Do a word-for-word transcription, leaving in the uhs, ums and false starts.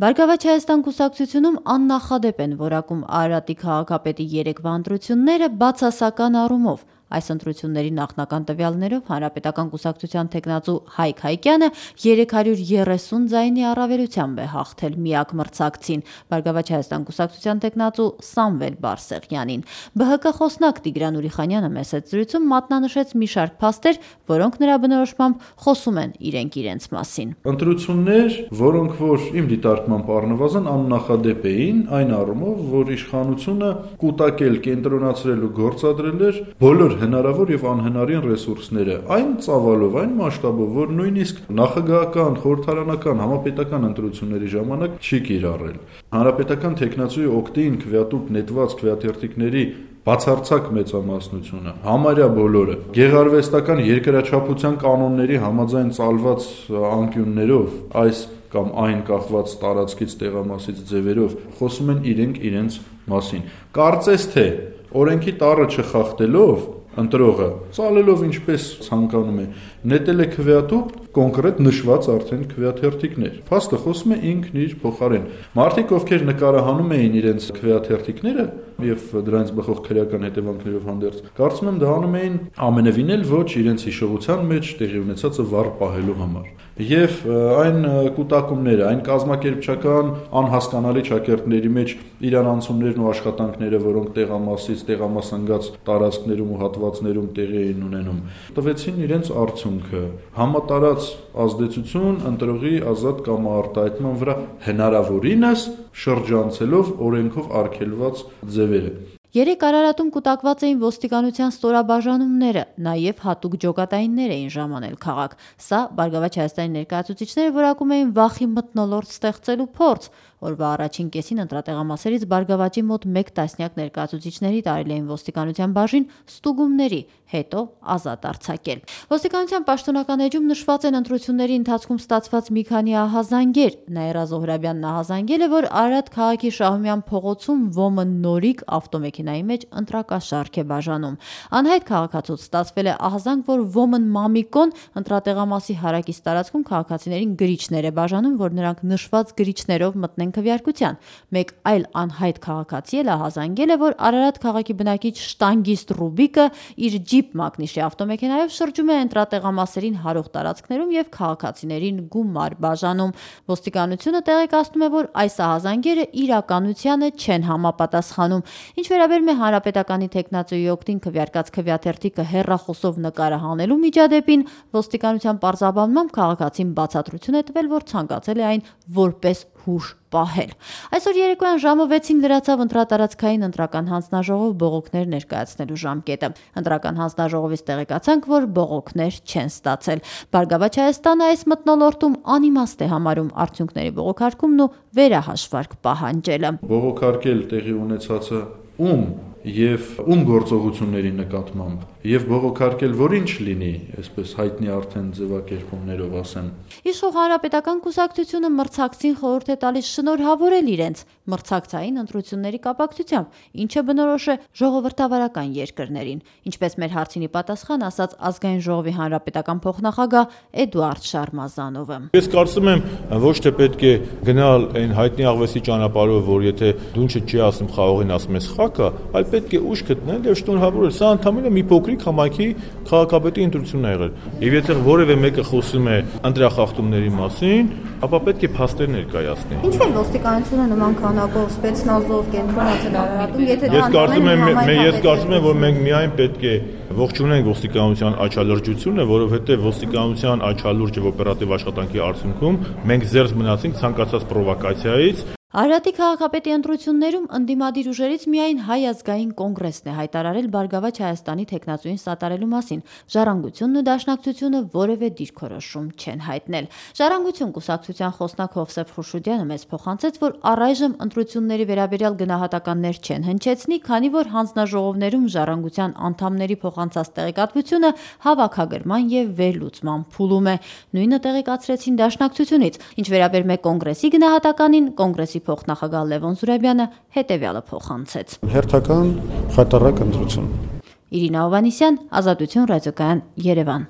Բարգավաճ Հայաստան կուսակցությունում աննախադեպ են որակում Արարատի քաղաքապետի երեկվա ընտրությունները բացասական առումով։ Այս ընտրությունների նախնական տվյալներով Հանրապետական կուսակցության թեկնածու Հայկ Հայկյանը երեք հարյուր երեսուն ձայնի առավելությամբ է հաղթել միակ մրցակցին՝ Բարգավաճ Հայաստան կուսակցության թեկնածու Սամվել Բարսեղյանին։ Բ Հ Կ խոսնակ Տիգրան Ուրիխանյանը մեծ զրույցում մատնանշեց մի շարք փաստեր, որոնք նրա բնորոշմամբ խոսում են իրենք իրենց մասին։ Ընտրություններ, որոնք որ իմ դիտարկմամբ առնվազն աննախադեպ էին, այն առումով, որ իշխանությունը կուտակել, կենտրոնացրել ու գործադրել էր բոլոր հնարավոր եւ անհնարին ռեսուրսները, այն ծավալով, այն մասշտաբով, որ նույնիսկ նախագահական, խորհրդարանական, համապետական ընտրությունների ժամանակ չի կիրառել։ Հանրապետական թեկնածուի օգտին քվեատուկ նետված քվեաթերթիկների բացարձակ մեծամասնությունը, համարյա բոլորը, գեղարվեստական երկրաչափության կանոնների համաձայն ծալված անկյուններով, այս կամ այն կախված տարածքից, տեղամասից ձևերով խոսում են իրենք իրենց մասին։ Կարծես թե օրենքի տառը չխախտելով ընտրողը ծալելով ինչպես ցանկանում է, նետել է քվեատուկ կոնկրետ նշված արդեն քվեաթերթիկներ։ Փաստը խոսում է ինքն իր փոխարեն։ Մարդիկ, ովքեր նկարահանում էին իրենց քվեաթերթիկները եւ դրանից բխող քրեական հետևանքներով հանդերձ, կարծում եմ դա անում էին ամենևին էլ ոչ իրենց հիշողության մեջ տեղի ունեցածը վառ պահելու համար։ Եվ այն կուտակումները, այն կազմակերպչական անհասկանալի ճակերտների մեջ իրանացումներն ու աշխատանքները, որոնք տեղամասից, տեղամասնգած տարածքներում ու հատվածներում տեղի էին ունենում, տվեցին իրենց արդյունքը։ Համատարած ազդեցություն ընտրողի ազատ կամարտահայտման վրա հնարավորինս շրջանցելով օրենքով արգելված ձևերը։ Երեք Արարատում կուտակված էին ոստիկանության ստորաբաժանումները, նաև հատուկ ջոկատայիններ էին ժամանել քաղաք։ Սա Բարգավաճ Հայաստանի ներկայացուցիչները որակում էին վախի մթնոլորտ ստեղծելու փորձ։ Օրվա առաջին կեսին ընտրատեղամասերից Բարգավաճի մոտ մեկ տասնյակ ներկայացուցիչների տարել էին ոստիկանության բաժին ստուգումների, հետո ազատ արձակել։ Ոստիկանության պաշտոնական էջում նշված են ընտրությունների ընթացքում ստացված մի քանի ահազանգեր։ Նաիրա Զոհրաբյանն ահազանգել է, որ Արարատ քաղաքի Շահումյան փողոցում ՎՈՄ-ը նորիկ ավտոմեքենայի մեջ ընտրակաշարք է բաժանում։ Անհայտ քաղաքացուց ստացվել է ահազանգ, որ ՎՈՄ-ն Մամիկոն ընտրատեղամասի հարակից տարածքում քաղաքացիներին գրիչներ է բաժանում, որ նրանք նշված գրիչներով մտնեն քվեարկության։ Մեկ այլ անհայտ քաղաքացի էլ ահազանգել է, որ Արարատ քաղաքի բնակիչ շտանգիստ Ռուբիկը իր ջիպ մակնիշի ավտոմեքենայով շրջում է ընտրատեղամասերին հարող տարածքներում եւ քաղաքացիներին գումար բաժանում։ Ոստիկանությունը տեղեկացնում է, որ այս ահազանգերը իրականությանը չեն համապատասխանում։ Ինչ վերաբերում է Հանրապետականի թեկնածուի օգտին քվեարկած քվեաթերթիկը հեռախոսով նկարահանելու միջադեպին, ոստիկանության պարզաբանմամբ քաղաքացին բացատրություն է տվել, որ ցանկացել է այն որպես հուշ պահել։ Այսօր երեկոյան ժամը վեցին լրացավ ընտրատարածքային ընտրական հանձնաժողով բողոքներ ներկայացնելու ժամկետը։ Ընտրական հանձնաժողովից տեղեկացանք, որ բողոքներ չեն ստացել։ Բարգավաճ Հայաստանը այս մթնոլորտում անիմաստ է համարում արդյունքների բողոքարկումն ու վերահաշվարկ պահանջելը։ Բողոքարկել տեղի ունեցածը ում եւ ում գործողությունների նկատմամբ եւ բողոքարկել որ ինչ լինի, այսպես հայտնի արդեն ձևակերպումներով ասեմ։ Իշխող Հանրապետական կուսակցությունը մրցակցին խորհուրդ է տալիս շնորհավորել իրենց մրցակցային ընտրությունների կապակցությամբ, ինչը բնորոշ է ժողովրդավարական երկրներին, ինչպես մեր հարցինի պատասխան ասաց Ազգային ժողովի հանրապետական փոխնախագահ Էդուարդ Շարմազանովը։ Ես կարծում եմ, ոչ թե պետք է գնալ այն հայտնի աղվեսի ճանապարհով, որ եթե դունչը չի ասում խաղողին ասում ես խակա, այլ պետք է ուշ գտնել եւ շնորհավորել։ Սա ընդհանրապես մի փոքրիկ համայնքի քաղաքապետի ընտրությունն է եղել։ Եվ եթե որևէ մեկը խոսում է ընտրախախտումների մասին, ապա պետք է փաստեր ներկայացնի։ Ինչու է ոստիկանությունը նման քանակով սպեցնազով կենտրոնացել Արարատում, եթե Ես կարծում եմ, ես կարծում եմ, որ մենք միայն պետք է ողջունենք ոստիկանության աչալրջությունը, որովհետեւ ոստիկանության աչալուրջը օպերատիվ աշխատանքի արդյունքում մենք զերծ մնացինք ցանկացած պրովոկացիայից։ Արարատի քաղաքապետի ընտրություններում ընդդիմադիր ուժերից միայն Հայ ազգային կոնգրեսն է հայտարարել Բարգավաճ Հայաստանի թեկնածուին սատարելու մասին։ Ժառանգությունն ու Դաշնակցությունը որևէ դիրքորոշում չեն հայտնել։ Ժառանգություն կուսակցության խոսնակ Հովսեփ Խուշուդյանը մեզ փոխանցեց, որ առայժմ ընտրությունների վերաբերյալ գնահատականներ չեն հնչեցնի, քանի որ հանձնաժողովներում Ժառանգության անդամների փոխանցած տեղեկատվությունը հավաքագրման եւ վերլուծման փուլում է։ Նույնը տեղեկացրեցին Դաշնակցությունից։ Ինչ վերաբերում է կոնգրեսի գնահատականին, կոնգրեսի փոխնախագահ Լևոն Զուրաբյանը հետևյալը փոխանցեց։ Հերթական խայտառակ ընտրություն։ Իրինա Հովհաննիսյան, Ազատություն ռադիոկայան, Երևան։